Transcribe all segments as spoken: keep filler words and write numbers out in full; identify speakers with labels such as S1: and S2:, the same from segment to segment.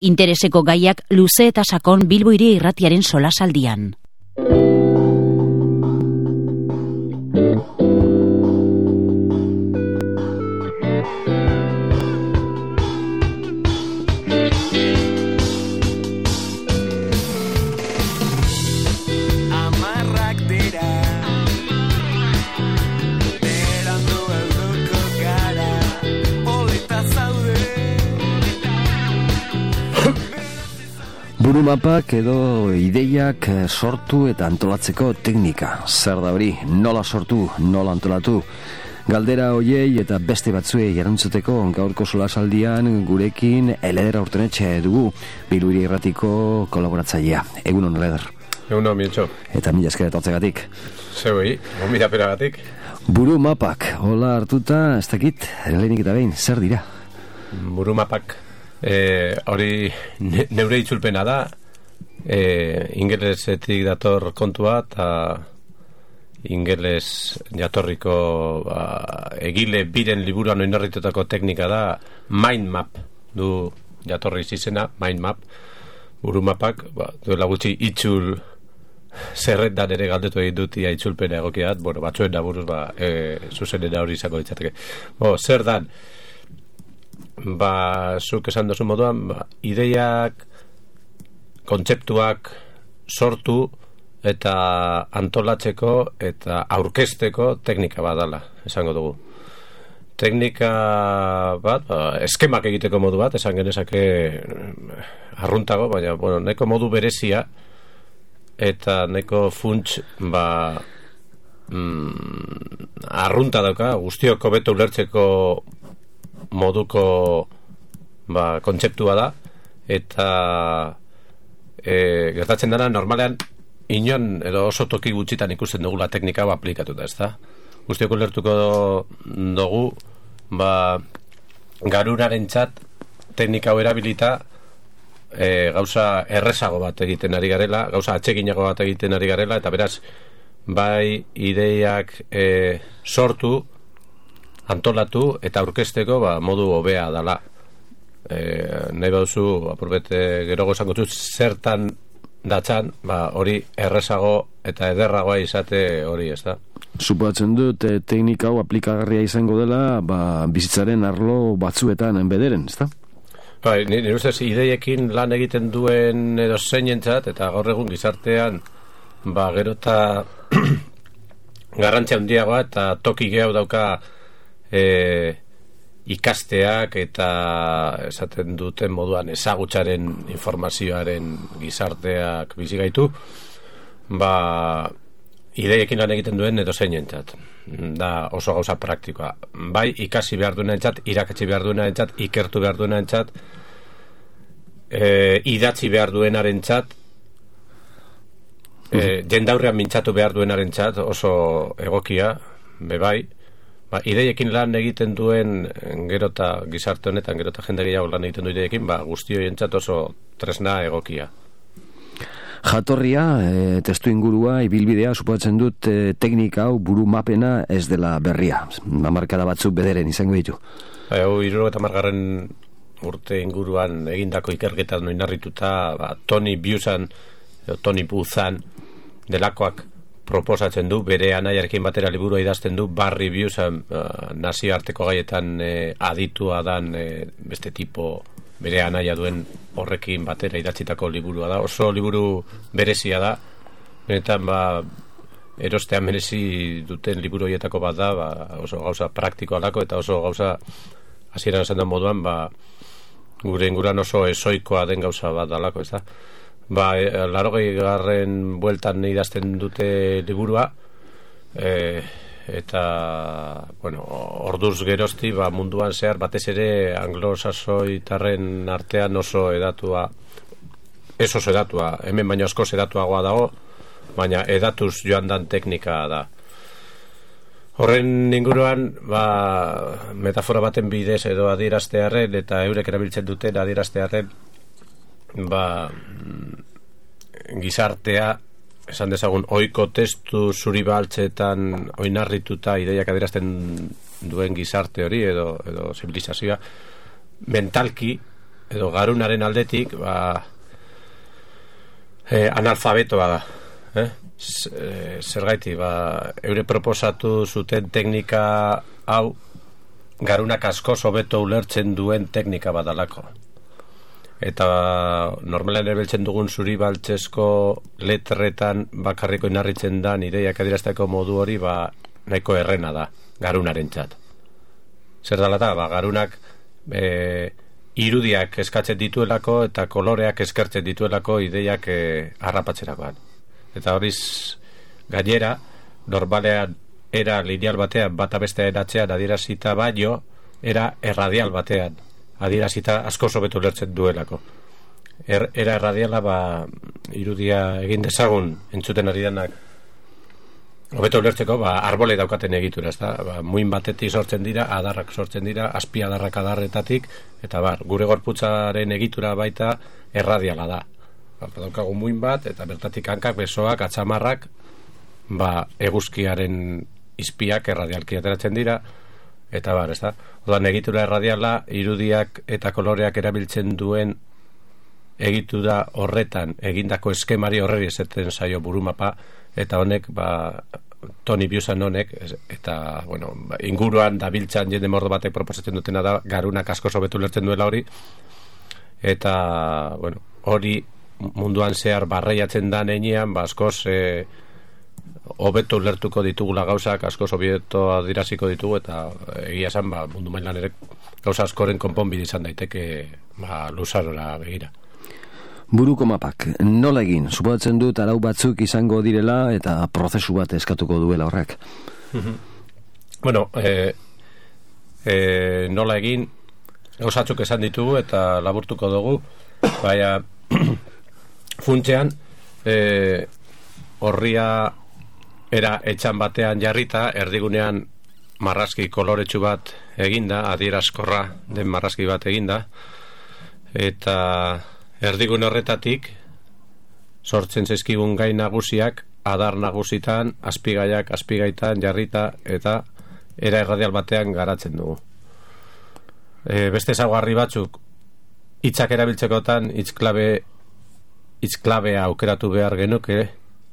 S1: Intereseko gaiak luze eta sakon Bilbo Hiria Irratiaren solasaldian.
S2: Burumapak edo ideiak sortu eta antolatzeko teknika. Zer da hori? Nola sortu, nola antolatu? Galdera hoiei eta beste batzuei erantzuteko gaurko solasaldian gurekin Eleder Aurtenetxe dugu, Bilbo Hiria Irratiko kolaboratzailea. Egunon, Eleder.
S3: Egunon, Mientxo.
S2: Eta mila esker etortzegatik.
S3: Zeuei, gomila peragatik.
S2: Burumapak, hola hartuta, ez dakit, lehenik eta behin, zer dira?
S3: Burumapak, e, hori ne, neure itzulpena da, e, ingelesetik dator kontua, eta ingeles jatorriko ba, egile biren liburuan oinarritutako teknika da mind map, du jatorri izena, mind map. Burumapak, ba, duela gutxi itzul zerrendan ere galdetu egin dut ia itzulpena egokiat, bueno, batzuen da buruz, ba, e, zuzenera hori izango ditzateke. Bo, zer dan, ba, zuk esan dozu moduan, ba, ideiak, kontzeptuak sortu eta antolatzeko eta aurkezteko teknika bat dala, esango dugu. Teknika bat, ba, eskemak egiteko modu bat, esan genezake arruntago, baina, bueno, neko modu berezia eta neko funts, ba, mm, arrunta dauka, guztiok hobeto ulertzeko moduko, ba, kontzeptua da, eta e, gertatzen dara, normalean, inon edo oso toki gutxitan ikusten dugula teknika hau aplikatuta, ez da? Guztiok ulertuko dugu, ba, garuraren txat teknika hau erabilita e, gauza errezago bat egiten ari garela, gauza atseginago bat egiten ari garela, eta beraz, bai ideiak e, sortu, antolatu eta aurkezteko, ba, modu hobea dala. E, nahi bauzu, apurbete gerogo esango zuz, zertan datzan, ba, hori errezago eta ederragoa izate hori, ez da?
S2: Suposatzen dut, e, teknika hau aplikagarria izango dela, ba, bizitzaren arlo batzuetan bederen, ez da?
S3: Ba, nire ustez, ideiekin lan egiten duen edo zeinentzat, eta gaur egun gizartean, ba, gero eta garrantzia handiagoa eta toki gehiago dauka e, ikasteak eta esaten duten moduan ezagutzaren informazioaren gizarteak bizi gaitu, ba, ideiekin lan egiten duen edo zeinentzat. Da oso gauza praktikoa. Bai ikasi behar duenentzat, irakatsi behar duenentzat, ikertu behar duenentzat, e, idatzi behar duenarentzat, e, jendaurrean mintzatu behar duenarentzat oso egokia, bebai. Ba, ideiekin lan egiten duen gero eta gizarte honetan, gero eta jende gehiago lan egiten du ideiekin, ba, guztioentzat oso tresna egokia.
S2: Jatorria, e, testu ingurua, ibilbidea, suposatzen dut e, teknika hau buru mapena ez dela berria. Hamarkada batzuk bederen izango ditu.
S3: Hau, hirurogeita hamargarren urte inguruan egindako ikerketan oinarrituta, ba, Tony Buzan, Tony Buzan delakoak proposatzen du, bere anaiarekin batera liburua idazten du, Barry Buzan, uh, nazioarteko gaietan e, aditua dan e, beste tipo bere anaia duen horrekin batera idatzitako liburua da, oso liburu berezia da, benetan, ba, erostean merezi duten liburu horietako bat da, ba, oso gauza praktikoa dako, eta oso gauza hasieran esan den moduan, ba, gure inguran oso esoikoa den gauza bat dalako, ez da? Ba, e, larogei garren bueltan idazten dute liburua, e, eta, bueno, orduz gerozti, ba, munduan zehar, batez ere anglosasoitarren artean oso edatua, ez oso edatua, hemen baino asko edatuagoa dago, baina edatuz joan dan teknika da. Horren inguruan, ba, metafora baten bidez edo adieraztearren, eta eurek erabiltzen duten adieraztearren, ba, gizartea, esan dezagun, ohiko testu zuri baltzetan oinarrituta ideiak adierazten duen gizarte hori edo, edo zibilizazioa mentalki edo garunaren aldetik, ba, e, analfabetoa da. Eh? Zergaiti, ba, eure proposatu zuten teknika hau garunak askoz hobeto ulertzen duen teknika badalako. Eta normalan erabiltzen dugun zuri baltzesko letretan bakarriko inarritzen da ideiak adierazteko modu hori ba, nahiko errena da garunaren txat. Zer dala da, ba, garunak e, irudiak eskatzen dituelako eta koloreak eskertzen dituelako ideiak e, harrapatzerakoan. Eta horiz gainera, normalean era lineal batean bata bestea eratzean adierazita baino, era erradial batean adierazita asko sobetu ulertzen duelako. Er, era erradiala ba, irudia egin dezagun entzuten ari denak hobeto ulertzeko ba, arbole daukaten egitura, ezta? Ba, muin batetik sortzen dira, adarrak sortzen dira, azpi adarrak adarretatik, eta bar, gure gorputzaren egitura baita erradiala da. Ba, daukagu muin bat, eta bertatik hankak, besoak, atzamarrak, ba, eguzkiaren izpiak erradialki ateratzen dira, eta bar, ezta? Odan egitura erradiala, irudiak eta koloreak erabiltzen duen egitura horretan egindako eskemari horreri esaten zaio burumapa, eta honek, ba, Tony Busan honek, eta, bueno, ba, inguruan dabiltzan jende mordo batek proposatzen dutena da, garunak asko sobetu lertzen duela hori, eta, bueno, hori munduan zehar barreiatzen da nenean, ba, askoz, e, hobeto ulertuko ditugula gauzak, asko hobeto adiraziko ditugu, eta egia esan, ba, mundu mailan ere gauza askoren konponbide izan daiteke, ba, luzarora begira.
S2: Buruko mapak, nola egin? Suposatzen dut arau batzuk izango direla eta prozesu bat eskatuko duela horrek.
S3: Bueno, e, e, nola egin, gauzatzuk esan ditugu eta laburtuko dugu, baina funtzean, e, horria era etxan batean jarrita, erdigunean marrazki koloretsu bat eginda, adierazkorra den marrazki bat eginda, eta erdigun horretatik sortzen zaizkigun gai nagusiak adar nagusitan, azpigaiak azpigaitan jarrita eta era erradial batean garatzen dugu. E, beste ezaugarri batzuk hitzak erabiltzekotan hitzklabe hitzklabea aukeratu behar genuke,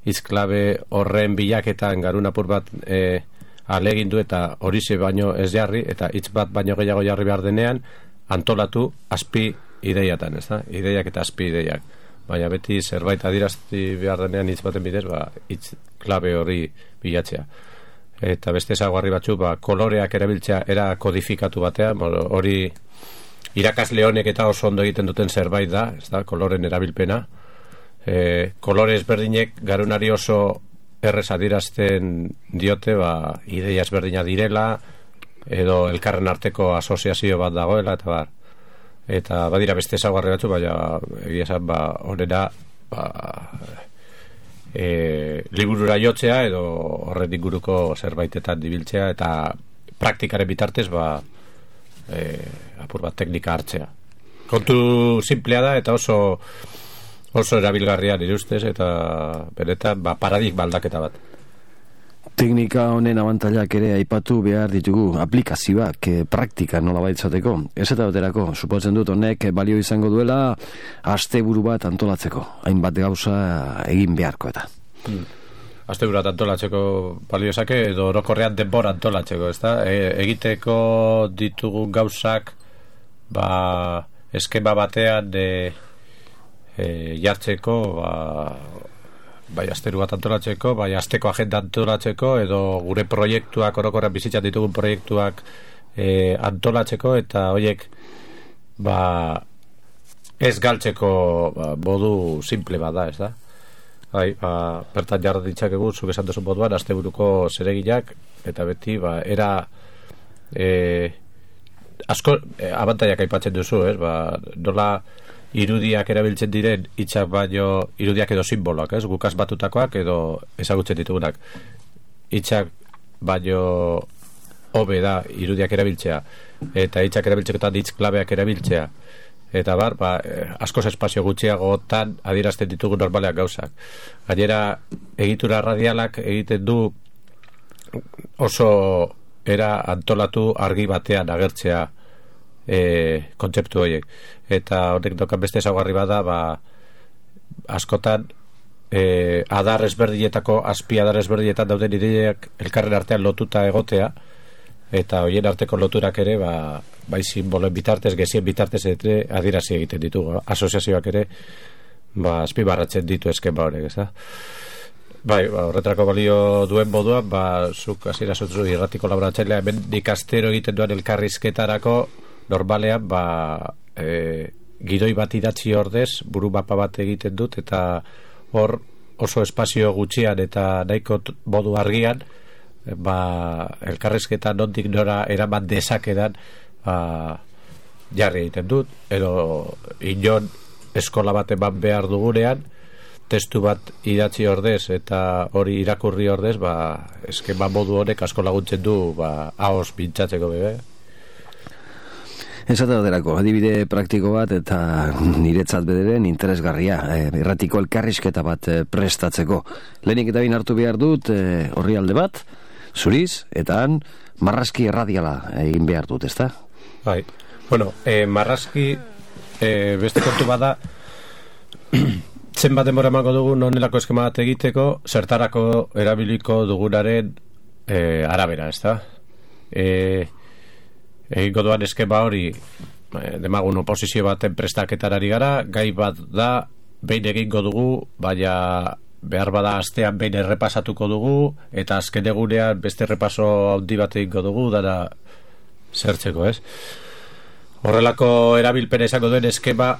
S3: hitzklabe horren bilaketan garun apur bat e, alegindu eta horixe baino ez jarri eta hitz bat baino gehiago jarri behar denean antolatu azpi ideiatan, ez da? Ideiak eta azpi ideiak. Baina beti zerbait adirazti behar denean hitz baten bidez, ba, hitz klabe hori bilatzea. Eta beste ezaugarri batzu, ba, koloreak erabiltzea era kodifikatu batean, hori irakasle honek eta oso ondo egiten duten zerbait da, ez da? Koloren erabilpena. E, kolore ezberdinek garunari oso errez adirazten diote, ba, ideia ezberdina direla, edo elkarren arteko asoziazio bat dagoela, eta bar. Eta badira beste ezaugarri batzu, baina egia esan, ba, horrela ba, e, liburura jotzea edo horren inguruko zerbaitetan dibiltzea eta praktikaren bitartez ba, e, apur bat teknika hartzea. Kontu simplea da eta oso oso erabilgarria nire ustez eta benetan ba, paradigma aldaketa bat.
S2: Teknika honen abantailak ere aipatu behar ditugu aplikazioak, eh, praktika nola baitzateko. Ez eta baterako, supotzen dut honek balio izango duela asteburu bat antolatzeko. Hainbat gauza egin beharko eta.
S3: Hmm. Asteburu bat antolatzeko balio esake edo orokorrean denbora antolatzeko, ezta? E, egiteko ditugu gauzak ba, eskema batean e, e, jartzeko ba, bai asteru bat antolatzeko, bai asteko agenda antolatzeko, edo gure proiektuak orokorrean bizitzan ditugun proiektuak e, antolatzeko, eta horiek ba, ez galtzeko ba, modu simple bat da, ez da? Bai, ba, bertan jarra ditzakegu, zuk esan duzu moduan, asteburuko zereginak, eta beti, ba, era e, asko e, abantaiak aipatzen duzu, ez? Ba, nola irudiak erabiltzen diren hitzak baino irudiak edo simboloak, ez? Gukaz batutakoak edo ezagutzen ditugunak. Hitzak baino hobe da irudiak erabiltzea eta hitzak erabiltzekotan hitz klabeak erabiltzea. Eta bar, ba, askoz espazio gutxiagotan adierazten ditugu normaleak gauzak. Gainera, egitura radialak egiten du oso era antolatu argi batean agertzea e, kontzeptu horiek. Eta horrek dokan beste ezaugarri bada, ba, askotan e, adar ezberdietako, azpi adar ezberdietan dauden ideiak elkarren artean lotuta egotea, eta horien arteko loturak ere, ba, bai simboloen bitartez, gezien bitartez ere adierazi egiten ditugu. Asoziazioak ere, ba, azpimarratzen ditu eskema horrek, ez da? Bai, ba, horretarako balio duen moduan, ba, zuk hasiera zutzu irratiko laboratzailea, hemen ikastero egiten duen elkarrizketarako, normalean, ba, e, gidoi bat idatzi ordez, buru mapa bat egiten dut, eta hor oso espazio gutxian eta nahiko modu argian, ba, elkarrizketa nondik nora eraman dezakedan, ba, jarri egiten dut, edo inon eskola bat eman behar dugunean, testu bat idatzi ordez eta hori irakurri ordez, ba, eskema modu honek asko laguntzen du, ba, ahoz pintzatzeko bebe.
S2: Esate baterako, adibide praktiko bat eta niretzat bederen interesgarria, e, irratiko elkarrizketa bat e, prestatzeko. Lehenik eta bin hartu behar dut e, horri alde bat, zuriz, eta han marrazki erradiala egin behar dut, ezta?
S3: Bai, bueno, e, marrazki e, beste kontu bada zenbat denbora emango dugun honelako eskema bat egiteko, zertarako erabiliko dugunaren e, arabera, ezta? E, egingo duan eskema hori e, demagun oposizio baten prestaketarari gara, gai bat da behin egingo dugu, baina behar bada astean behin errepasatuko dugu, eta azken egunean beste errepaso handi bat egingo dugu, dara zertzeko, ez? Horrelako erabilpena izango duen eskema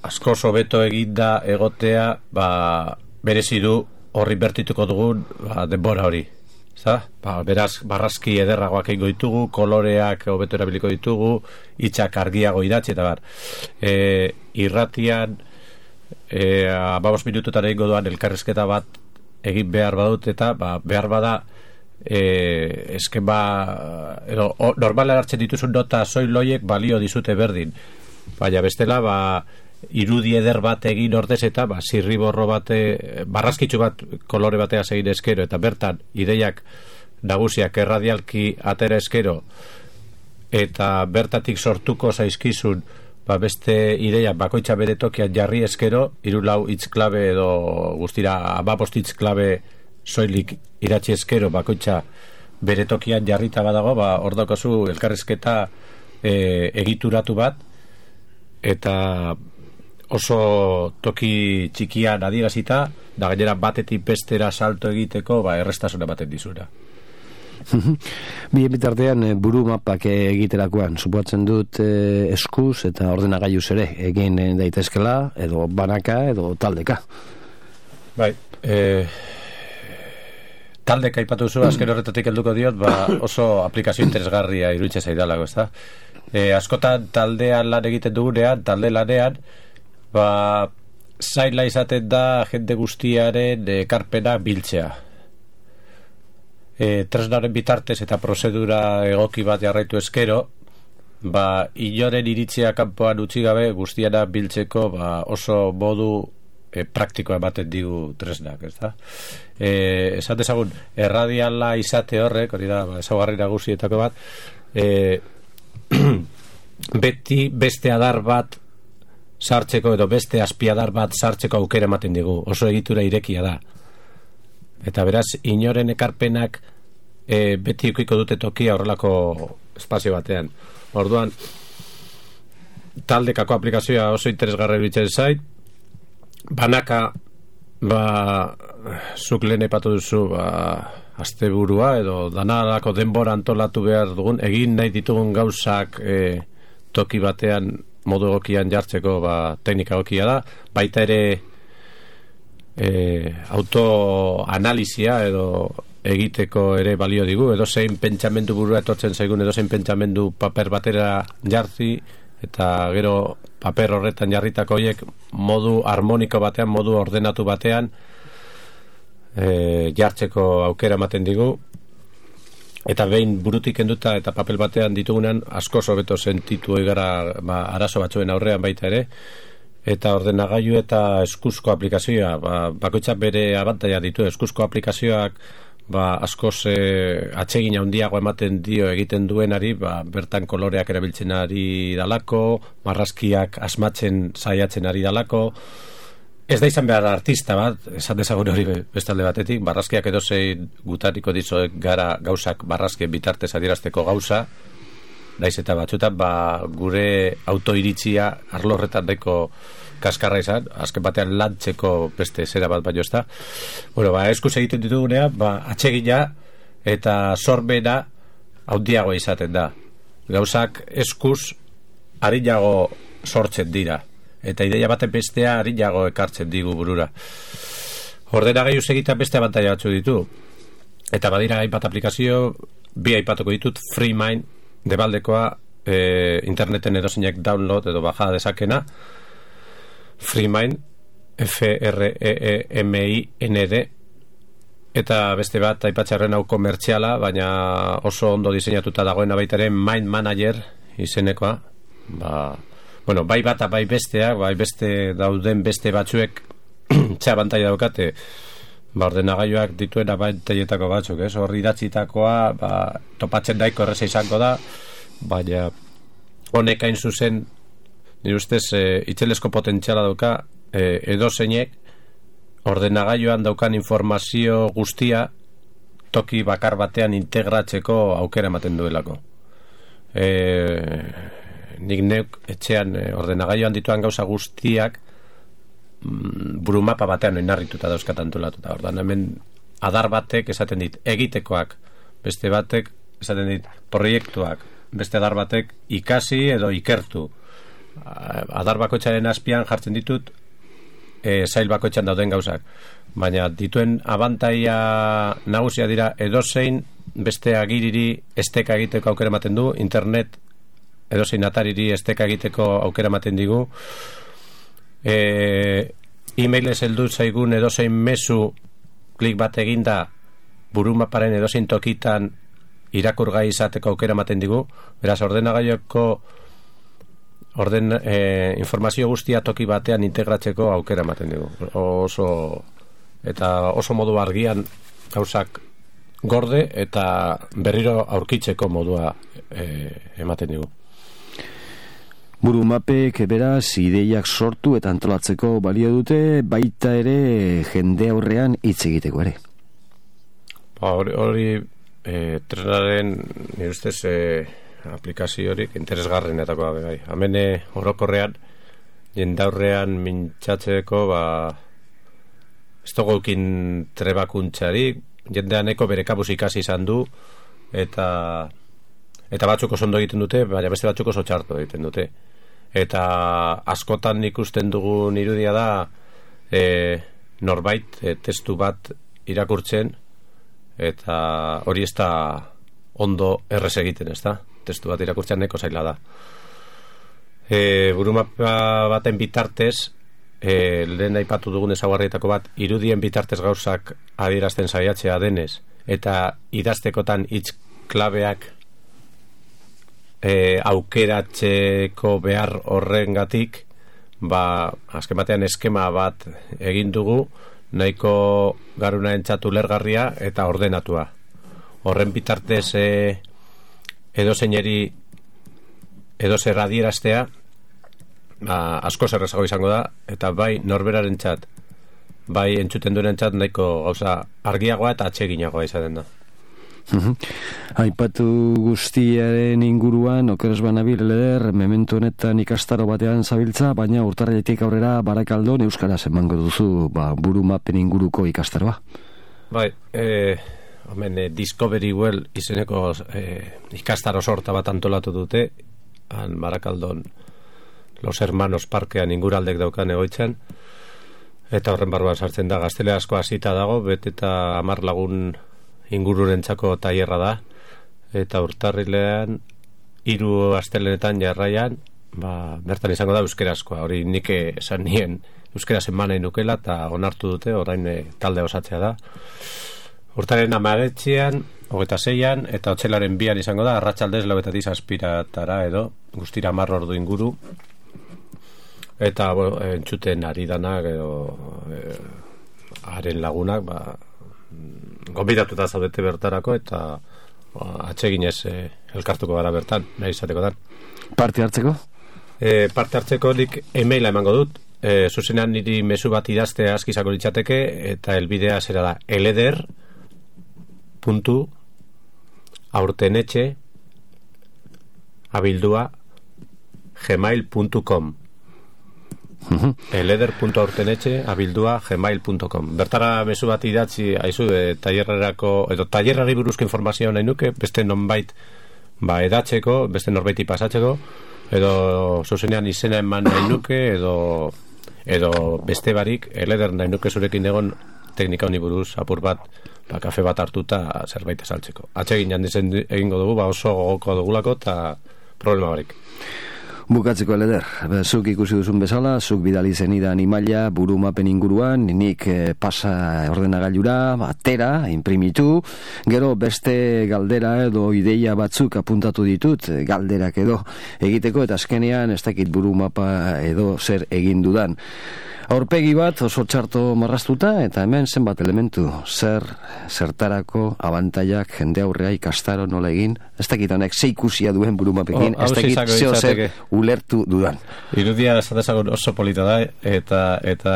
S3: asko hobeto eginda egotea, ba, berezi du horri bertituko dugun, ba, denbora hori. Zta? Ba, beraz, barrazki ederragoak egingo ditugu, koloreak hobeto erabiliko ditugu, hitzak argiago idatzi, eta bar. E, irratian, e, ababos minututan egingo duan elkarrizketa bat egin behar badut, eta ba, behar bada e, eskema, edo, o, normala hartzen dituzun nota soiloiek balio dizute berdin. Baina bestela, ba, irudi eder bat egin ordez eta ba, zirriborro bate, barrazkitzu bat kolore batea egin eskero, eta bertan ideiak nagusiak erradialki atera eskero, eta bertatik sortuko zaizkizun ba, beste ideia bakoitza bere tokian jarri eskero, hiru lau hitz klabe edo guztira hamabost hitz klabe soilik idatzi eskero bakoitza bere tokian jarrita badago, ba, hor daukazu elkarrizketa e, egituratu bat, eta oso toki txikian adierazita, da gainera batetik bestera salto egiteko, ba, errestasuna baten dizura.
S2: Bien bitartean buru mapak egiterakoan supoatzen dut eh, eskuz eta ordenagailuz ere egin daitezkela, edo banaka edo taldeka.
S3: Bai, eh, taldeka aipatu zu, azken horretatik helduko diot, ba, oso aplikazio interesgarria iruditzen zaidalako, ezta? Eh, askotan taldean lan egiten dugunean, talde lanean, ba, zaila izaten da jende guztiaren ekarpena biltzea. E, tresnaren bitartez eta prozedura egoki bat jarraitu eskero, ba, inoren iritzia kanpoan utzi gabe guztiana biltzeko ba, oso modu e, praktikoa ematen digu tresnak, ez da? E, esan dezagun, erradiala izate horrek, hori da, ba, ezaugarri nagusietako bat, e, beti beste adar bat sartzeko edo beste azpiadar bat sartzeko aukera ematen digu, oso egitura irekia da, eta beraz inoren ekarpenak e, beti ukiko dute tokia horrelako espazio batean. Orduan taldekako aplikazioa oso interesgarri bitzen zait, banaka ba, zuk lehen epatu duzu ba, asteburua edo danarako denbora antolatu behar dugun, egin nahi ditugun gauzak e, toki batean modu egokian jartzeko ba, teknika egokia da, baita ere e, autoanalizia edo egiteko ere balio digu, edo zein pentsamendu burua etortzen zaigun, edo zein pentsamendu paper batera jartzi, eta gero paper horretan jarritako horiek modu harmoniko batean, modu ordenatu batean e, jartzeko aukera ematen digu, eta behin burutik kenduta eta papel batean ditugunean asko hobeto sentitu egara ba, arazo batzuen aurrean baita ere, eta ordenagailu eta eskuzko aplikazioa ba, bakoitzak bere abantaila ditu. Eskuzko aplikazioak ba, askoz e, atsegin handiago ematen dio egiten duenari, ba, bertan koloreak erabiltzen ari dalako, marrazkiak asmatzen saiatzen ari dalako. Ez da izan behar artista bat, esan dezagun hori bestalde batetik, barrazkiak edozei gutariko dizoek gara gauzak barrazkien bitartez adierazteko gauza, daiz eta batzuetan ba, gure autoiritzia arlorretan daiko kaskarra izan, azken batean lantzeko beste zera bat baino ez da. Bueno, ba, eskuz egiten ditugunea, ba, atsegina eta sorbena handiago izaten da. Gauzak eskuz arinago sortzen dira. Eta ideia baten bestea arinago ekartzen digu burura. Ordenagailu egitea beste abantaila batzu ditu. Eta badira hainbat aplikazio, bi aipatuko ditut, FreeMind, debaldekoa, e, interneten edozeinek download edo baja dezakena. FreeMind, F R E E M I N D, eta beste bat aipatzearren hau komertziala, baina oso ondo diseinatuta dagoena baitaren Mind Manager izenekoa. Ba, bueno, bai bata bai besteak, bai beste dauden beste batzuek txea bantaia daukate, ba, ordenagailuak dituen abantaietako batzuk, ez? Hor idatzitakoa, ba, topatzen daiko erreza izango da, baina honek hain zuzen, nire ustez, e, itzelesko potentziala dauka, e, edozeinek ordenagailuan daukan informazio guztia toki bakar batean integratzeko aukera ematen duelako. E, nik neuk etxean e, ordenagailuan dituan gauza guztiak mm, burumapa batean oinarrituta dauzkat antolatuta. Ordan hemen adar batek esaten dit egitekoak, beste batek esaten dit proiektuak, beste adar batek ikasi edo ikertu. Adar bakoitzaren azpian jartzen ditut e, zail bakoitzan dauden gauzak, baina dituen abantaia nagusia dira edozein beste agiriri esteka egiteko aukera ematen du, internet edozein atariri esteka egiteko aukera ematen digu, e, e-mailez heldu zaigun edozein mezu klik bat eginda burumaparen edozein tokitan irakurgai izateko aukera ematen digu. Beraz, ordenagailuko orden e, informazio guztia toki batean integratzeko aukera ematen digu. Oso eta oso modu argian gauzak gorde eta berriro aurkitzeko modua e, ematen digu.
S2: Burumapek beraz ideiak sortu eta antolatzeko balio dute, baita ere jende aurrean hitz egiteko ere.
S3: Ba, hori, hori e, trenaren nire ustez e, aplikazio horik interesgarrenetakoa bai. Hemen orokorrean jendaurrean mintzatzeko ba ez dugukin trebakuntzarik, jendeaneko bere kabuz ikasi izan du eta eta batzuk oso ondo egiten dute, baina beste batzuk oso txarto egiten dute. Eta askotan ikusten dugun irudia da e, norbait e, testu bat irakurtzen eta hori ez da ondo errez egiten, ez da? Testu bat irakurtzen neko zaila da. E, burumapa baten bitartez, e, lehen aipatu dugun ezaugarrietako bat, irudien bitartez gauzak adierazten saiatzea denez, eta idaztekotan hitz klabeak e, aukeratzeko behar horrengatik, ba, azken batean eskema bat egin dugu, nahiko garuna entzatu lergarria eta ordenatua. Horren bitartez e, edozeineri edozer adieraztea ba, asko zerrezago izango da, eta bai norberarentzat, bai entzuten duenentzat nahiko gauza argiagoa eta atseginagoa izaten da.
S2: Aipatu guztiaren inguruan okeres banabil leder memento honetan ikastaro batean zabiltza, baina urtarrietik aurrera Barakaldon euskaraz emango duzu ba, burumapen inguruko ikastaroa.
S3: Bai, eh, omen, eh, Discovery Well izeneko eh, ikastaro sorta bat antolatu dute han Barakaldon Los Hermanos Parkean inguraldek daukan egoitzen, eta horren barruan sartzen da gaztele asko hasita dago, bet eta hamar lagun ingururentzako tailerra da, eta urtarrilean hiru astelenetan jarraian ba, bertan izango da euskerazkoa. Hori nik esan nien euskeraz eman nahi nukela eta onartu dute, orain e, talde osatzea da. Urtaren hamaretzean, hogeita seian eta otsailaren bian izango da, arratsaldez lauetatik zazpiratara edo, guztira hamar ordu inguru, eta bueno, entzuten ari danak edo e, haren lagunak ba, gonbidatuta zaudete bertarako, eta atseginez e, elkartuko gara bertan, nahi izateko da.
S2: Parte hartzeko?
S3: E, parte hartzeko nik e-maila emango dut, e, zuzenean niri mezu bat idazte askizako litzateke, eta elbidea zera da eleder puntu aurtenetxe abildua gmail puntu com eleder puntu aurtenetxe abildua gmail puntu com. Bertara mezu bat idatzi aizu de tailerrerako edo tailerrari buruzko informazioa nahi nuke, beste nonbait ba edatzeko, beste norbaiti pasatzeko, edo zuzenean izena eman nahi nuke, edo edo beste barik eleder nahi nuke zurekin egon teknika honi buruz apur bat, ba, kafe bat hartuta zerbait esaltzeko. Atsegin handizen egingo dugu, ba oso gogoko dugulako eta problema barik.
S2: Bukatzeko eleder, zuk ikusi duzun bezala, zuk bidali zenidan imaila burumapen inguruan, nik eh, pasa ordenagailura, atera, imprimitu, gero beste galdera edo ideia batzuk apuntatu ditut, galderak edo egiteko, eta azkenean ez dakit burumapa edo zer egin dudan. Aurpegi bat oso txarto marraztuta, eta hemen zenbat elementu, zer, zertarako, abantaiak, jende aurrea ikastaro nola egin, ez dakit honek ze ikusia duen burumapekin, ez dakit zeo zer ulertu dudan.
S3: Irudia esatezagun oso polita da, eta eta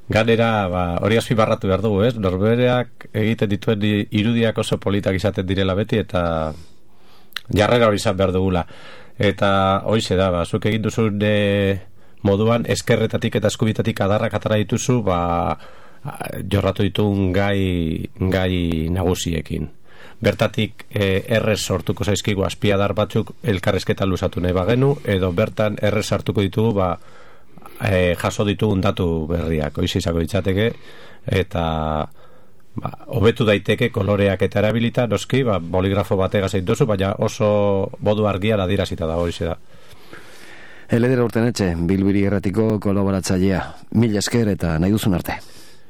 S3: ganera ba, hori azpimarratu behar dugu, ez? Norbereak egiten dituen irudiak oso politak izaten direla beti, eta jarrera hori izan behar dugula. Eta hoize da, ba, zuk egin duzun e, moduan eskerretatik eta eskubitatik adarrak atara dituzu, ba, jorratu ditun gai, gai nagusiekin. Bertatik e, errez sortuko zaizkigu azpiadar batzuk elkarrezketa luzatu nahi bagenu, edo bertan errez hartuko ditugu ba, e, jaso ditugun datu berriak, oiz izako ditzateke, eta ba, hobetu daiteke koloreak eta erabilita, noski, ba, boligrafo batega zein duzu, baina oso modu argia adirazita da, hori da.
S2: Eleder Urtenetxe, Bilbiri Erratiko kolaboratzailea. Mila esker eta nahi duzun arte.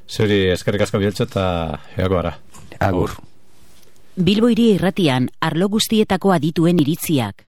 S3: Zuri eskerrik asko bieltxo eta eako gara.
S2: Agur.
S1: Bilbo Hiri Irratian arlo guztietako adituen iritziak.